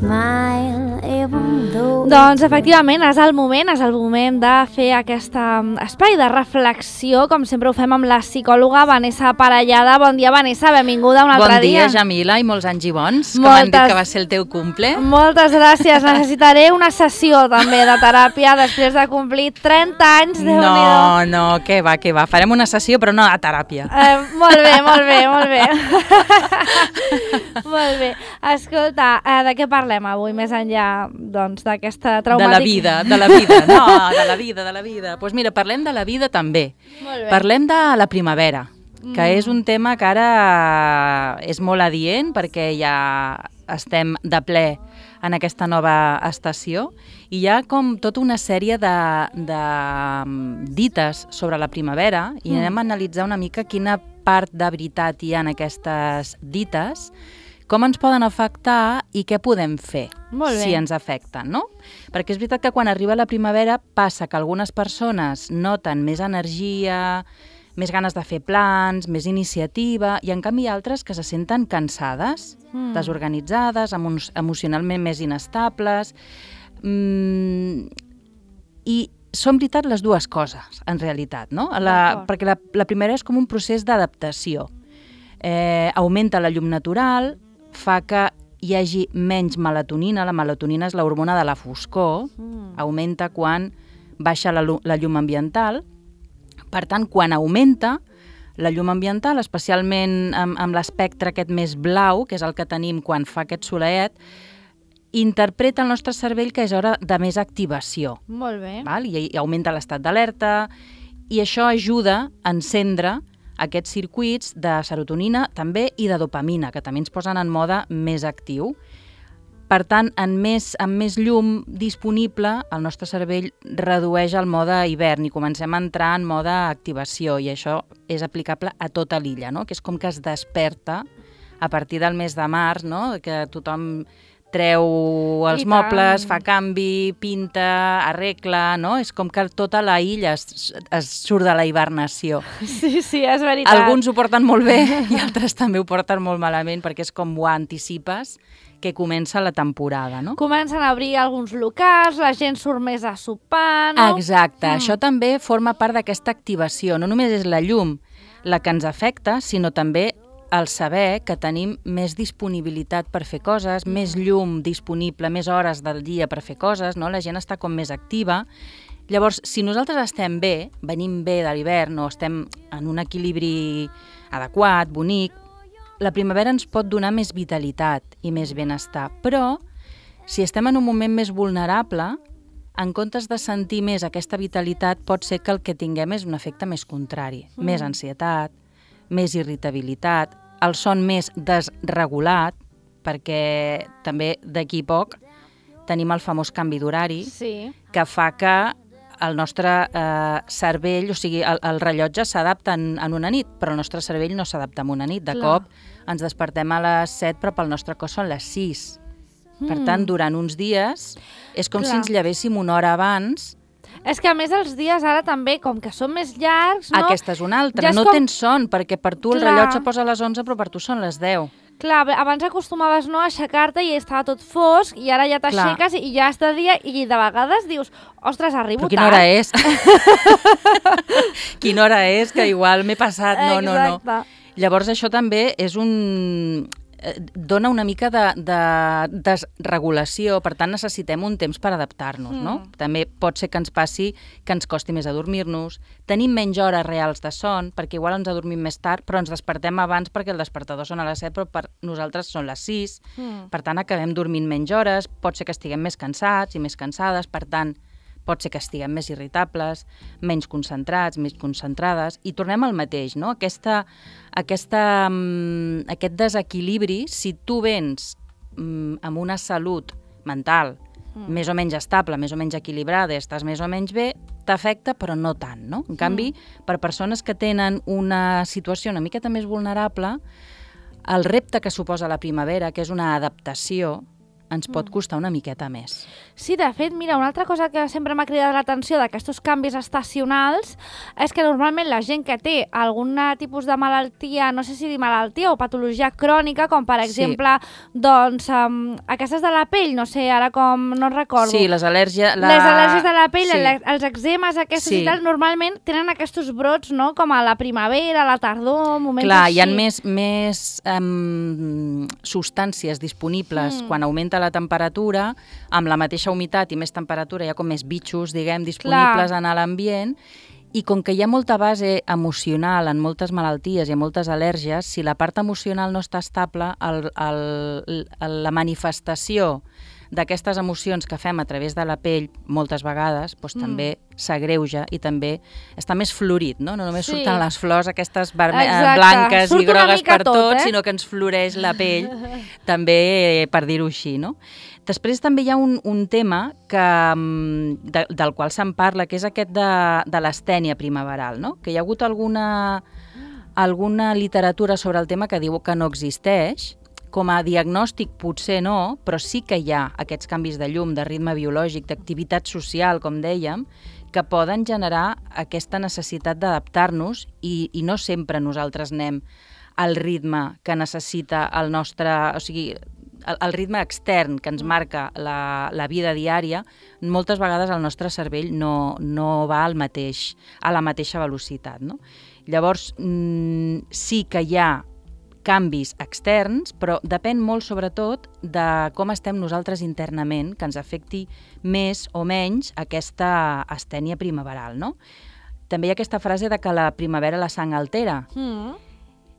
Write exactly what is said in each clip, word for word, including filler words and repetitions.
smile even though... Doncs efectivament és el moment, és el moment de fer aquest espai de reflexió, com sempre ho fem amb la psicòloga Vanessa Parellada. Bon dia, Vanessa, benvinguda un altre dia. Bon dia, dia. Jamila, i molts anys i bons, que Moltes... m'han dit que va ser el teu cumple. Moltes gràcies, necessitaré una sessió també de teràpia després de complir trenta anys, Déu-n'hi-do. No, no, què va, què va, farem una sessió però no a teràpia. Eh, molt bé, molt bé, molt bé. Molt bé. Escolta, eh, de què parlem avui, més enllà doncs, d'aquesta traumàtica... De la vida, de la vida, no, de la vida, de la vida. Doncs pues mira, parlem de la vida també. Molt bé. Parlem de la primavera, que mm. és un tema que ara és molt adient perquè ja estem de ple en aquesta nova estació i hi ha com tota una sèrie de, de dites sobre la primavera i mm. anem a analitzar una mica quina part de veritat hi ha en aquestes dites, com ens poden afectar i què podem fer si ens afecten, no? Perquè és veritat que quan arriba la primavera passa que algunes persones noten més energia, més ganes de fer plans, més iniciativa, i en canvi altres que se senten cansades, mm. desorganitzades, emo emocionalment més inestables, mm, i són veritat les dues coses, en realitat, no? La, perquè la, la primera és com un procés d'adaptació. Eh, augmenta la llum natural, fa que hi hagi menys melatonina. La melatonina és l'hormona de la foscor, mm. augmenta quan baixa la, la llum ambiental. Per tant, quan augmenta la llum ambiental, especialment amb, amb l'espectre aquest més blau, que és el que tenim quan fa aquest soleet, interpreta el nostre cervell que és hora de més activació. Molt bé. Val? I, i augmenta l'estat d'alerta, i això ajuda a encendre aquests circuits de serotonina també i de dopamina, que també ens posen en mode més actiu. Per tant, en més, amb més llum disponible, el nostre cervell redueix el mode hivern i comencem a entrar en mode activació, i això és aplicable a tota l'illa, no? Que és com que es desperta a partir del mes de març, no? Que tothom treu els mobles, fa canvi, pinta, arregla, no? És com que tota la illa es, es surt de la hibernació. Sí, sí, és veritat. Alguns ho porten molt bé i altres també ho porten molt malament perquè és com ho anticipes que comença la temporada, no? Comencen a obrir alguns locals, la gent surt més a sopar, no? Exacte, mm. això també forma part d'aquesta activació. No només és la llum la que ens afecta, sinó també el saber que tenim més disponibilitat per fer coses, mm. més llum disponible, més hores del dia per fer coses, no? La gent està com més activa. Llavors, si nosaltres estem bé, venim bé de l'hivern o estem en un equilibri adequat, bonic, la primavera ens pot donar més vitalitat i més benestar. Però, si estem en un moment més vulnerable, en comptes de sentir més aquesta vitalitat, pot ser que el que tinguem és un efecte més contrari, mm. més ansietat, més irritabilitat, el son més desregulat, perquè també d'aquí poc tenim el famós canvi d'horari, sí. que fa que el nostre eh, cervell, o sigui, el, el rellotge s'adapta en, en una nit, però el nostre cervell no s'adapta en una nit. De Clar. Cop ens despertem a les set, però pel nostre cos són les sis. Mm. Per tant, durant uns dies és com Clar. Si ens llevéssim una hora abans. És que a més els dies ara també, com que són més llargs, no? Aquesta és una altra, ja és no com... tens son, perquè per tu el Clar. rellotge posa a les onze, però per tu són les deu. Clar, abans acostumaves no, a aixecar-te i estava tot fosc, i ara ja t'aixeques i ja és de dia, i de vegades dius, ostres, arribo tard. Però quina hora és? Quina hora és? Que igual m'he passat. No, no, no. Exacte. Llavors això també és un... dona una mica de, de desregulació, per tant necessitem un temps per adaptar-nos, mm. no? També pot ser que ens passi que ens costi més adormir-nos, tenim menys hores reals de son, perquè igual ens adormim més tard, però ens despertem abans perquè el despertador són a les set, però per nosaltres són les sis, mm. per tant acabem dormint menys hores, pot ser que estiguem més cansats i més cansades, per tant pot ser que estiguem més irritables, menys concentrats, més concentrades, i tornem al mateix, no? Aquesta, aquesta, um, aquest desequilibri, si tu vens um, amb una salut mental mm. més o menys estable, més o menys equilibrada, estàs més o menys bé, t'afecta, però no tant, no? En canvi, mm. per persones que tenen una situació una miqueta més vulnerable, el repte que suposa la primavera, que és una adaptació, ens pot costar una miqueta més. Sí, de fet, mira, una altra cosa que sempre m'ha cridat l'atenció d'aquests canvis estacionals és que normalment la gent que té algun tipus de malaltia, no sé si dir malaltia o patologia crònica, com per exemple, sí. doncs, um, aquestes de la pell, no sé, ara com no recordo. Sí, les al·lèrgies... La... Les al·lèrgies de la pell, sí. els eczemes, aquests sí. i tal, normalment tenen aquests brots, no?, com a la primavera, a la tardor, moments Clar, així. Clar, hi ha més, més um, substàncies disponibles mm. quan augmenta la temperatura, amb la mateixa humitat i més temperatura, hi ha com més bitxos, diguem, disponibles Clar. En l'ambient, i com que hi ha molta base emocional en moltes malalties i en moltes al·lèrgies, si la part emocional no està estable, el, el, el, la manifestació d'aquestes emocions que fem a través de la pell, moltes vegades, doncs mm. també s'agreuja i també està més florit, no? No només sí. surten les flors aquestes verme- blanques Surt i grogues per tot, tot eh? sinó que ens floreix la pell, també per dir-ho així, no? Després també hi ha un, un tema que, de, del qual se'n parla, que és aquest de, de l'astènia primaveral, no? Que hi ha hagut alguna, alguna literatura sobre el tema que diu que no existeix. Com a diagnòstic potser no, però sí que hi ha aquests canvis de llum, de ritme biològic, d'activitat social, com dèiem, que poden generar aquesta necessitat d'adaptar-nos i, i no sempre nosaltres anem al ritme que necessita el nostre... O sigui, el, el ritme extern que ens marca la, la vida diària, moltes vegades el nostre cervell no, no va al mateix, a la mateixa velocitat, no? Llavors, mmm, sí que hi ha canvis externs, però depèn molt sobretot de com estem nosaltres internament, que ens afecti més o menys aquesta astènia primaveral, no? També hi ha aquesta frase de que la primavera la sang altera. Mm.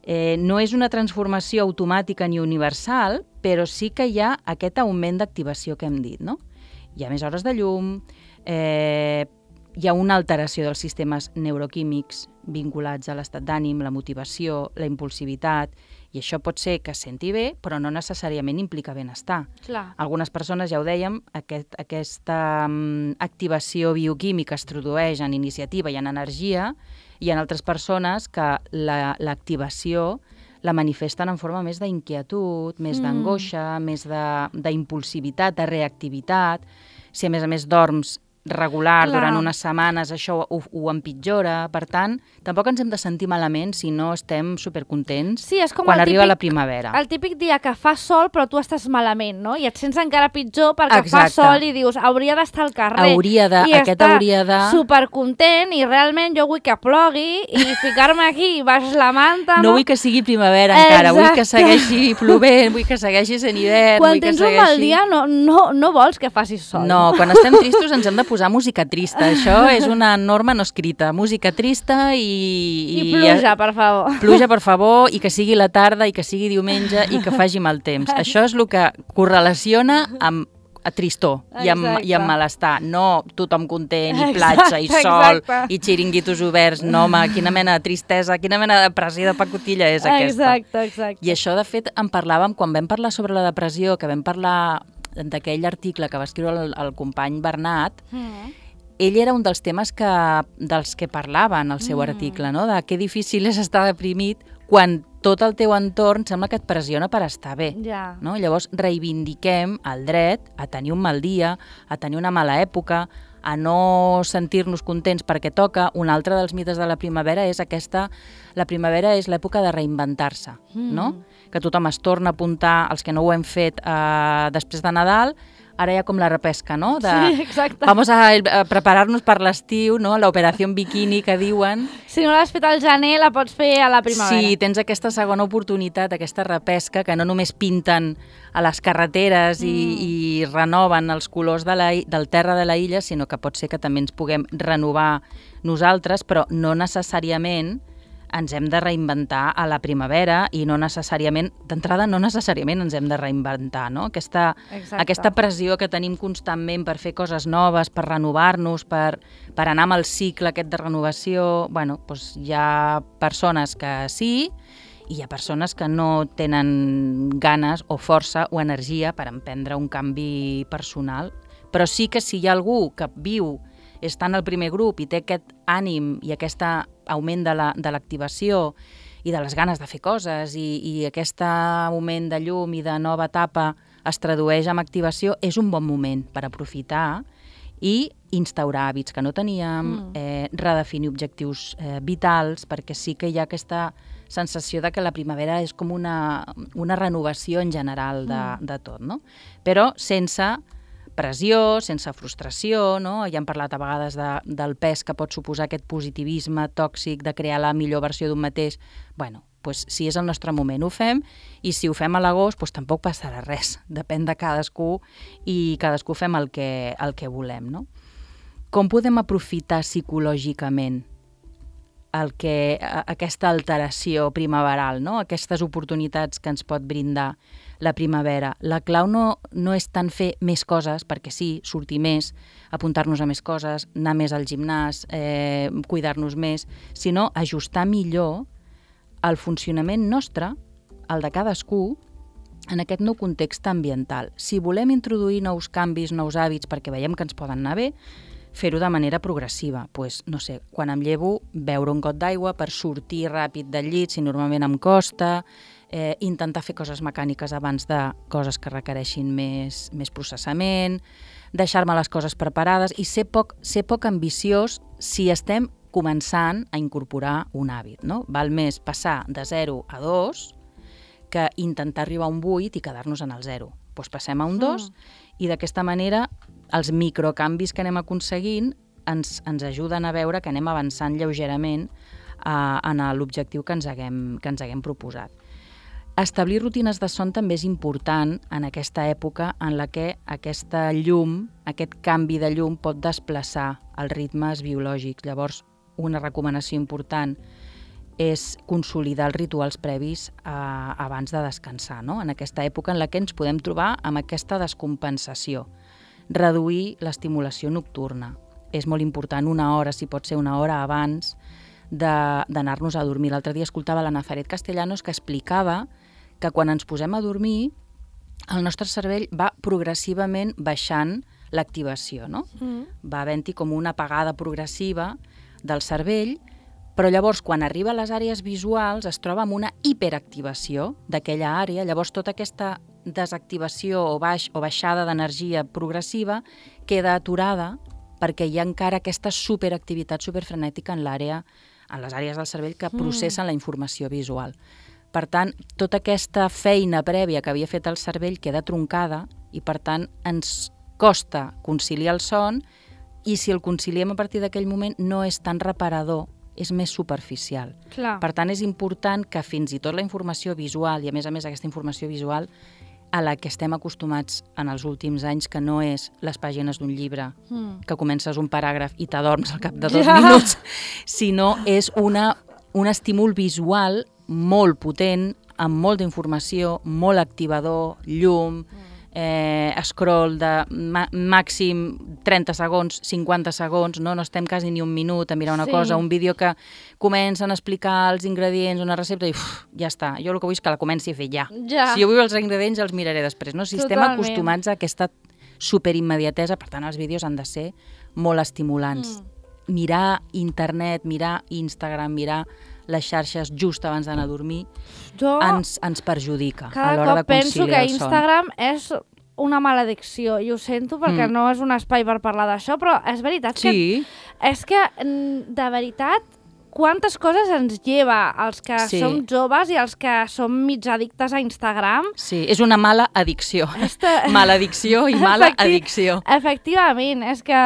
Eh, no és una transformació automàtica ni universal, però sí que hi ha aquest augment d'activació que hem dit, no? Hi ha més hores de llum, eh, hi ha una alteració dels sistemes neuroquímics vinculats a l'estat d'ànim, la motivació, la impulsivitat, i això pot ser que es senti bé, però no necessàriament implica benestar. Clar. Algunes persones, ja ho dèiem, aquest, aquesta um, activació bioquímica es tradueix en iniciativa i en energia, i hi ha altres persones que la, l'activació la manifesten en forma més d'inquietud, més mm. d'angoixa, més d'impulsivitat, de, de reactivitat. Si a més a més dorms regular Clar. Durant unes setmanes, això ho, ho empitjora. Per tant, tampoc ens hem de sentir malament si no estem supercontents sí, és com quan arriba típic, la primavera. El típic dia que fa sol però tu estàs malament, no? I et sents encara pitjor perquè Exacte. Fa sol i dius, hauria d'estar al carrer. Hauria de, I aquest hauria de... supercontent i realment jo vull que plogui i ficar-me aquí baix la manta. No, no vull que sigui primavera encara, Exacte. Vull que segueixi plovent, vull que segueixi sent hivern. Quan vull tens que segueixi... un mal dia no, no, no vols que faci sol. No, quan estem tristos ens hem de posar música trista. Això és una norma no escrita. Música trista i... I, I pluja, per favor. Pluja, per favor, i que sigui la tarda, i que sigui diumenge, i que faci mal temps. Això és el que correlaciona amb a tristor i amb, i amb malestar. No tothom content, i platja, exacte, i sol, exacte. I xiringuitos oberts. No, home, quina mena de tristesa, quina mena de depressió de pacotilla és aquesta. Exacte, exacte. I això, de fet, en parlàvem quan vam parlar sobre la depressió, que vam parlar d'aquell article que va escriure el, el company Bernat. Mm. Ell era un dels temes que, dels que parlava en el seu mm. article, no? De que difícil és estar deprimit quan tot el teu entorn sembla que et pressiona per estar bé. Ja. No? Llavors reivindiquem el dret a tenir un mal dia, a tenir una mala època, a no sentir-nos contents perquè toca. Un altre dels mites de la primavera és aquesta... La primavera és l'època de reinventar-se, mm. no? Que tothom es torna a apuntar, els que no ho hem fet eh, després de Nadal. Ara hi ha com la repesca, no? De, sí, exacte. Vamos a, a preparar-nos per l'estiu, no? L'operació bikini que diuen. Si no l'has fet al gener, la pots fer a la primavera. Sí, tens aquesta segona oportunitat, aquesta repesca, que no només pinten a les carreteres mm. i, i renoven els colors de la, del terra de la illa, sinó que pot ser que també ens puguem renovar nosaltres, però no necessàriament ens hem de reinventar a la primavera i no necessàriament, d'entrada no necessàriament ens hem de reinventar, no? Aquesta, aquesta pressió que tenim constantment per fer coses noves, per renovar-nos, per, per anar amb el cicle aquest de renovació, bueno, doncs hi ha persones que sí i hi ha persones que no tenen ganes o força o energia per emprendre un canvi personal, però sí que si hi ha algú que viu està en el primer grup i té aquest ànim i aquest augment de, la, de l'activació i de les ganes de fer coses i, i aquest augment de llum i de nova etapa es tradueix en activació, és un bon moment per aprofitar i instaurar hàbits que no teníem, mm. eh, redefinir objectius eh, vitals, perquè sí que hi ha aquesta sensació de que la primavera és com una, una renovació en general de, mm. de tot, no? Però sense pressió, sense frustració, no? Ja hem parlat a vegades de, del pes que pot suposar aquest positivisme tòxic de crear la millor versió d'un mateix. Bueno, pues, si és el nostre moment, ho fem, i si ho fem a l'agost, pues, tampoc passarà res. Depèn de cadascú i cadascú fem el que, el que volem, no? Com podem aprofitar psicològicament el que, aquesta alteració primaveral, no? Aquestes oportunitats que ens pot brindar la primavera? La clau no, no és tant fer més coses, perquè sí, sortir més, apuntar-nos a més coses, anar més al gimnàs, eh, cuidar-nos més, sinó ajustar millor el funcionament nostre, el de cadascú, en aquest nou context ambiental. Si volem introduir nous canvis, nous hàbits, perquè veiem que ens poden anar bé, fer-ho de manera progressiva. Pues, no sé, quan em llevo, beure un got d'aigua per sortir ràpid del llit, si normalment em costa, eh, intentar fer coses mecàniques abans de coses que requereixin més, més processament, deixar-me les coses preparades i ser poc, ser poc ambiciós si estem començant a incorporar un hàbit, no? Val més passar de zero a dos que intentar arribar a un vuit i quedar-nos en el zero. Doncs passem a un dos mm. i d'aquesta manera els microcanvis que anem aconseguint ens, ens ajuden a veure que anem avançant lleugerament eh, en l'objectiu que ens haguem, que ens haguem proposat. Establir rutines de son també és important en aquesta època en la que aquesta llum, aquest canvi de llum pot desplaçar els ritmes biològics. Llavors, una recomanació important és consolidar els rituals previs eh, abans de descansar, no? En aquesta època en la que ens podem trobar amb aquesta descompensació. Reduir l'estimulació nocturna. És molt important una hora, si pot ser una hora abans d'anar-nos a dormir. L'altre dia escoltava la Nazaret Castellanos que explicava que quan ens posem a dormir el nostre cervell va progressivament baixant l'activació, no? Mm. Va havent-hi com una apagada progressiva del cervell, però llavors quan arriba a les àrees visuals es troba amb una hiperactivació d'aquella àrea, llavors tota aquesta desactivació o, baix, o baixada d'energia progressiva queda aturada perquè hi ha encara aquesta superactivitat superfrenètica en l'àrea, en les àrees del cervell que processen mm. la informació visual. Per tant, tota aquesta feina prèvia que havia fet el cervell queda troncada i, per tant, ens costa conciliar el son i si el conciliem a partir d'aquell moment no és tan reparador, és més superficial. Clar. Per tant, és important que fins i tot la informació visual, i a més a més aquesta informació visual a la que estem acostumats en els últims anys, que no és les pàgines d'un llibre, mm. que comences un paràgraf i t'adorms al cap de dos ja. minuts, sinó és una, un estímul visual molt potent, amb molta informació, molt activador, llum, eh, scroll de màxim trenta segons, cinquanta segons, no? No estem quasi ni un minut a mirar una sí. cosa, un vídeo que comencen a explicar els ingredients, una recepta i uf, ja està. Jo el que vull és que la comenci a fer ja. ja. Si jo vull els ingredients els miraré després. No? Si Totalment. Estem acostumats a aquesta superimmediatesa, per tant els vídeos han de ser molt estimulants. Mm. Mirar internet, mirar Instagram, mirar les xarxes just abans d'anar a dormir jo ens, ens perjudica a l'hora de conciliar el son. Cada cop penso que Instagram és una maledicció i ho sento perquè mm. no és un espai per parlar d'això, però és veritat sí. que és que de veritat quantes coses ens lleva els que sí. som joves i els que som mig addictes a Instagram. Sí, és una mala addicció. Esta... Maledicció i mala Efecti... addicció. Efectivament, és que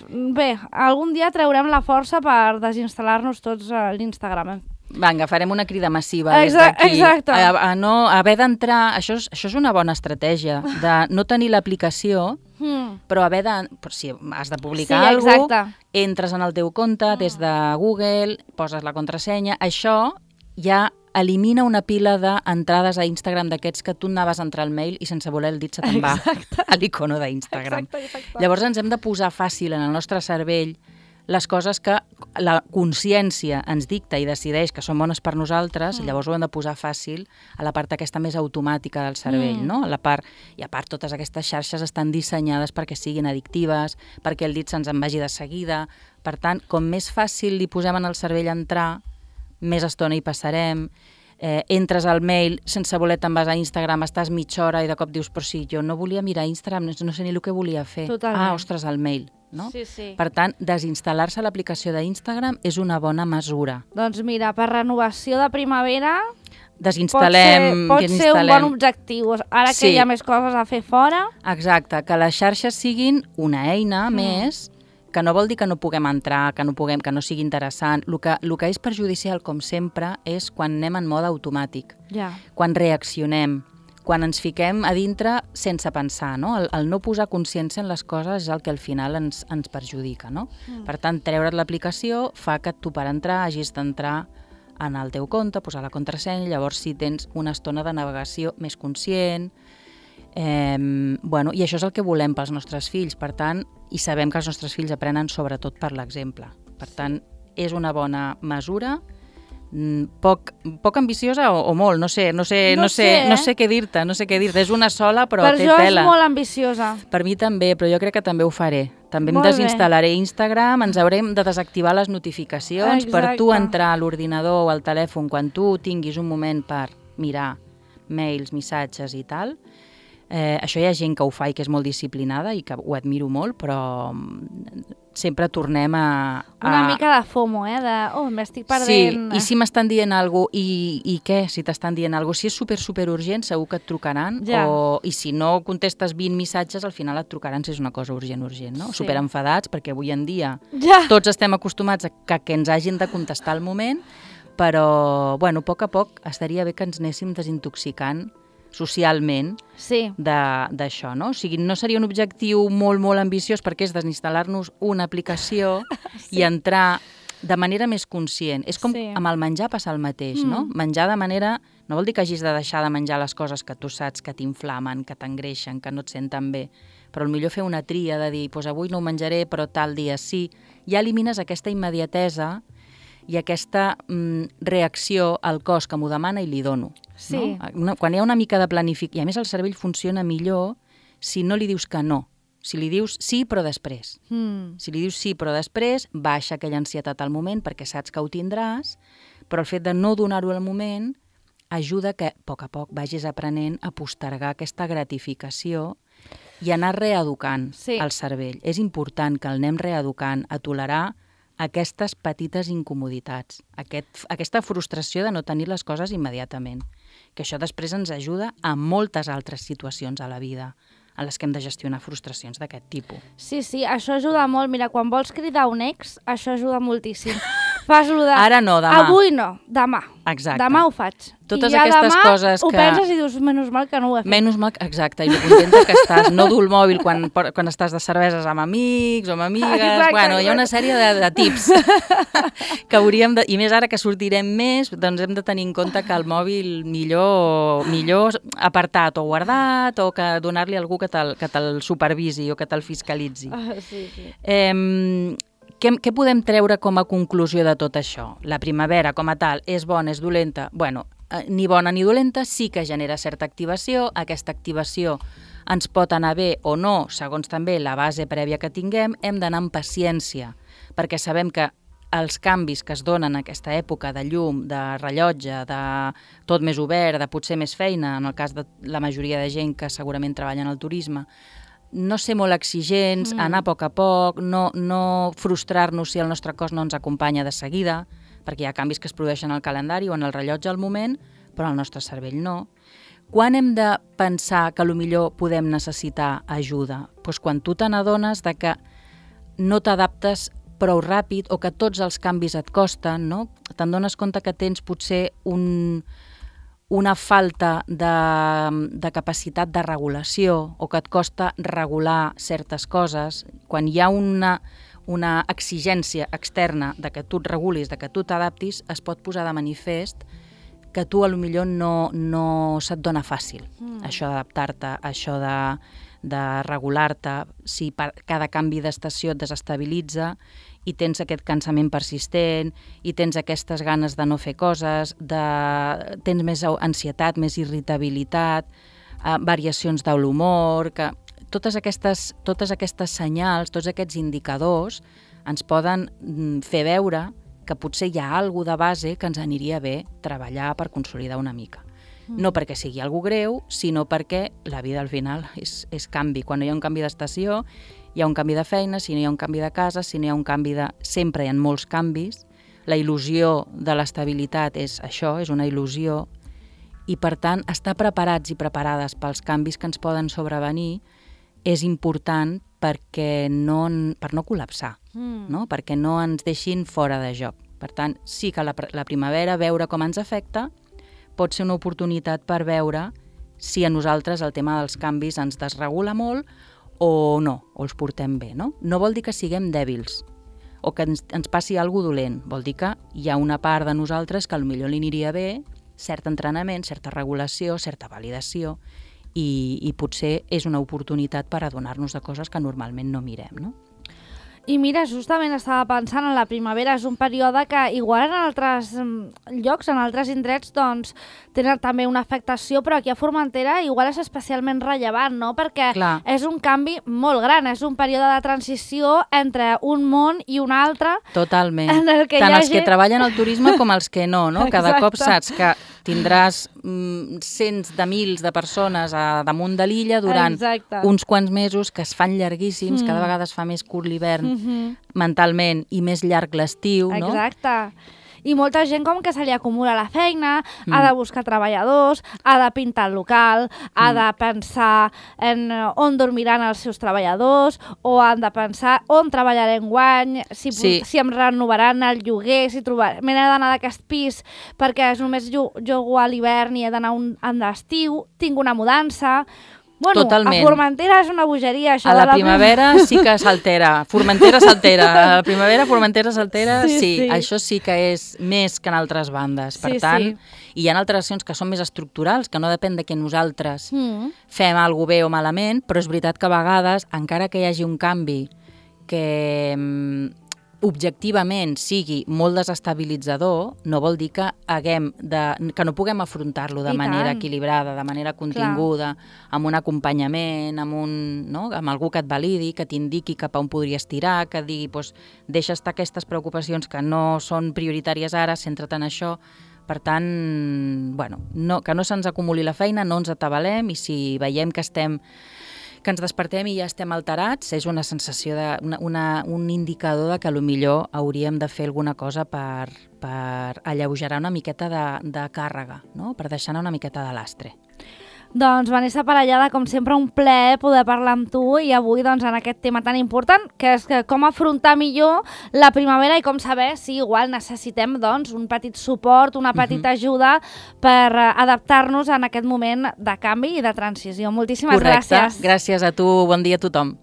bé, algun dia traurem la força per desinstal·lar-nos tots a l'Instagram. Vinga, farem una crida massiva des Exacte, d'aquí. exacte. A, a no haver d'entrar, això, és, això és una bona estratègia, de no tenir l'aplicació, mm. però haver de, si has de publicar sí, alguna cosa, entres en el teu compte mm. des de Google, poses la contrasenya, això ja elimina una pila d'entrades a Instagram d'aquests que tu anaves a entrar al mail i sense voler el dit se te'n va a l'icono d'Instagram. Llavors ens hem de posar fàcil en el nostre cervell les coses que la consciència ens dicta i decideix que són bones per nosaltres, mm. llavors ho hem de posar fàcil a la part aquesta més automàtica del cervell, mm. no? A la part, i a part totes aquestes xarxes estan dissenyades perquè siguin addictives, perquè el dit se'ns en vagi de seguida. Per tant, com més fàcil li posem en el cervell entrar, més estona hi passarem, eh, entres al mail sense voler te'n vas a Instagram, estàs mitja hora i de cop dius, però sí, jo no volia mirar Instagram, no, no sé ni el que volia fer. Totalment. Ah, ostres, el mail. No? Sí, sí. Per tant, desinstal·lar-se l'aplicació d'Instagram és una bona mesura. Doncs mira, per renovació de primavera Desinstal·lem... pot ser, pot ser un bon objectiu. Ara Sí. que hi ha més coses a fer fora... Exacte, que les xarxes siguin una eina mm. més, que no vol dir que no puguem entrar, que no puguem, que no sigui interessant. El que, el que és perjudicial, com sempre, és quan anem en mode automàtic, Ja. quan reaccionem, quan ens fiquem a dintre sense pensar, no? El, el no posar consciència en les coses és el que al final ens, ens perjudica, no? Mm. Per tant, treure't l'aplicació fa que tu per entrar hagis d'entrar en el teu compte, posar la contrasenya, llavors si tens una estona de navegació més conscient, eh, bueno, i això és el que volem pels nostres fills, per tant, i sabem que els nostres fills aprenen sobretot per l'exemple. Per tant, és una bona mesura, poc, poc ambiciosa o, o molt, no sé, no sé, No no sé, sé, eh? no sé què dir-te, no sé què dir-te, és una sola però per té jo tela. és molt ambiciosa. Per mi també, però jo crec que també ho faré. També em Molt bé. desinstal·laré Instagram, ens haurem de desactivar les notificacions Exacte. per tu entrar a l'ordinador o al telèfon quan tu tinguis un moment per mirar mails, missatges i tal. Eh, això hi ha gent que ho fa i que és molt disciplinada i que ho admiro molt, però sempre tornem a... a... Una mica de FOMO, eh? De, oh, m'estic perdent... Sí, i si m'estan dient alguna cosa, i, i què si t'estan dient alguna cosa? Si és super, super urgent, segur que et trucaran, Ja. o, i si no contestes vint missatges, al final et trucaran si és una cosa urgent, urgent, no? Sí. Super enfadats, perquè avui en dia Ja. tots estem acostumats a que, que ens hagin de contestar al moment, però, bueno, a poc a poc estaria bé que ens anéssim desintoxicant socialment Sí. d'això, no? O sigui, no seria un objectiu molt, molt ambiciós perquè és desinstal·lar-nos una aplicació sí. i entrar de manera més conscient. És com Sí. amb el menjar passa el mateix, Mm. no? Menjar de manera... No vol dir que hagis de deixar de menjar les coses que tu saps que t'inflamen, que t'engreixen, que no et senten bé, però potser fer una tria de dir, pues avui no ho menjaré, però tal dia sí. Ja elimines aquesta immediatesa i aquesta mm, reacció al cos que m'ho demana i li dono. Sí. No? Una, quan hi ha una mica de planificació, i a més el cervell funciona millor si no li dius que no, si li dius sí però després. Mm. Si li dius sí però després, baixa aquella ansietat al moment perquè saps que ho tindràs, però el fet de no donar-ho al moment ajuda que a poc a poc vagis aprenent a postergar aquesta gratificació i anar reeducant Sí. el cervell. És important que el anem reeducant a tolerar aquestes petites incomoditats, aquest, aquesta frustració de no tenir les coses immediatament, que això després ens ajuda a moltes altres situacions a la vida en les que hem de gestionar frustracions d'aquest tipus. Sí, sí, això ajuda molt. Mira, quan vols cridar un ex, això ajuda moltíssim. Fas-lo de... Ara no, demà. Avui no, demà. Exacte. Demà ho faig. Totes I ja aquestes demà coses ho que... penses i dius, menys mal que no ho he fet. Menys mal, exacte, i contenta que estàs. No dur el mòbil quan, quan estàs de cerveses amb amics o amb amigues. Exacte, Bueno, hi ha una exacte. sèrie de, de tips que hauríem de... I més ara que sortirem més, doncs hem de tenir en compte que el mòbil millor, millor apartat o guardat o que donar-li a algú que te'l que te'l supervisi o que te'l fiscalitzi. Ah, sí, sí. Eh, què, què podem treure com a conclusió de tot això? La primavera, com a tal, és bona, és dolenta? Bueno, eh, ni bona ni dolenta, sí que genera certa activació. Aquesta activació ens pot anar bé o no, segons també la base prèvia que tinguem. Hem d'anar amb paciència, perquè sabem que els canvis que es donen en aquesta època de llum, de rellotge, de tot més obert, de potser més feina, en el cas de la majoria de gent que segurament treballa en el turisme, no ser molt exigents, mm. anar a poc a poc, no, no frustrar-nos si el nostre cos no ens acompanya de seguida, perquè hi ha canvis que es produeixen al calendari o en el rellotge al moment, però el nostre cervell no. Quan hem de pensar que potser podem necessitar ajuda? Doncs quan tu te n'adones de que no t'adaptes prou ràpid o que tots els canvis et costen, no? Te'n dones compte que tens potser un... una falta de, de capacitat de regulació o que et costa regular certes coses, quan hi ha una, una exigència externa de que tu et regulis, de que tu t'adaptis, es pot posar de manifest que tu a lo millor no, no se't dona fàcil, mm. això d'adaptar-te, això de, de regular-te, si per cada canvi d'estació et desestabilitza i tens aquest cansament persistent, i tens aquestes ganes de no fer coses, de... tens més ansietat, més irritabilitat, eh, variacions de l'humor, que totes aquestes, totes aquestes senyals, tots aquests indicadors ens poden fer veure que potser hi ha alguna de base que ens aniria bé treballar per consolidar una mica. No perquè sigui algo greu, sinó perquè la vida al final és, és canvi. Quan hi ha un canvi d'estació, hi ha un canvi de feina, si no hi ha un canvi de casa, si no hi ha un canvi de... Sempre hi ha molts canvis. La il·lusió de l'estabilitat és això, és una il·lusió, i per tant, estar preparats i preparades pels canvis que ens poden sobrevenir és important perquè no, per no col·lapsar, mm. no? Perquè no ens deixin fora de joc. Per tant, sí que la, la primavera, veure com ens afecta, pot ser una oportunitat per veure si a nosaltres el tema dels canvis ens desregula molt o no, o els portem bé, no? No vol dir que siguem dèbils o que ens, ens passi alguna cosa dolent, vol dir que hi ha una part de nosaltres que potser li aniria bé cert entrenament, certa regulació, certa validació i, i potser és una oportunitat per adonar-nos de coses que normalment no mirem, no? I mira, justament estava pensant en la primavera, és un període que igual en altres llocs, en altres indrets, doncs tenen també una afectació, però aquí a Formentera igual és especialment rellevant, no? Perquè Clar. és un canvi molt gran, és un període de transició entre un món i un altre. Totalment. En el que Tant els gent... que treballen al turisme com els que no, no? Cada cop saps que tindràs mm, cents de mils de persones a damunt de l'illa durant Exacte. uns quants mesos que es fan llarguíssims, mm. cada vegada es fa més curt l'hivern mm-hmm. mentalment i més llarg l'estiu, no? Exacte. I molta gent com que se li acumula la feina, mm. ha de buscar treballadors, ha de pintar el local, ha mm. de pensar en on dormiran els seus treballadors, o han de pensar on treballarem guany, si, sí. si em renovaran el lloguer, si trobar... m'he d'anar d'aquest pis perquè només jugo a l'hivern i he d'anar un, en l'estiu, tinc una mudança... Bueno, Totalment. A Formentera és una bogeria, això a de la la primavera sí que s'altera, Formentera s'altera, a la primavera Formentera s'altera, sí, sí, sí, això sí que és més que en altres bandes, per sí, tant, sí. i hi ha alteracions que són més estructurals, que no depèn de que nosaltres mm. fem alguna bé o malament, però és veritat que a vegades, encara que hi hagi un canvi que objectivament sigui molt desestabilitzador, no vol dir que haguem de, que no puguem afrontar-lo de I manera tant. equilibrada, de manera continguda, Clar. amb un acompanyament, amb, un, no? amb algú que et validi, que t'indiqui cap a on podries tirar, que digui, doncs, deixa estar aquestes preocupacions que no són prioritàries ara, centra't en això. Per tant, bueno, no, que no se'ns acumuli la feina, no ens atabalem, i si veiem que estem que ens despertem i ja estem alterats, és una sensació, de, una, una, un indicador de que potser hauríem de fer alguna cosa per, per alleugerar una miqueta de, de càrrega, no? Per deixar anar una miqueta de lastre. Doncs, Vanessa Parellada, com sempre, un plaer poder parlar amb tu i avui doncs, en aquest tema tan important, que és que com afrontar millor la primavera i com saber si igual necessitem doncs, un petit suport, una petita uh-huh. ajuda per adaptar-nos en aquest moment de canvi i de transició. Moltíssimes Correcte. gràcies. Gràcies a tu, bon dia a tothom.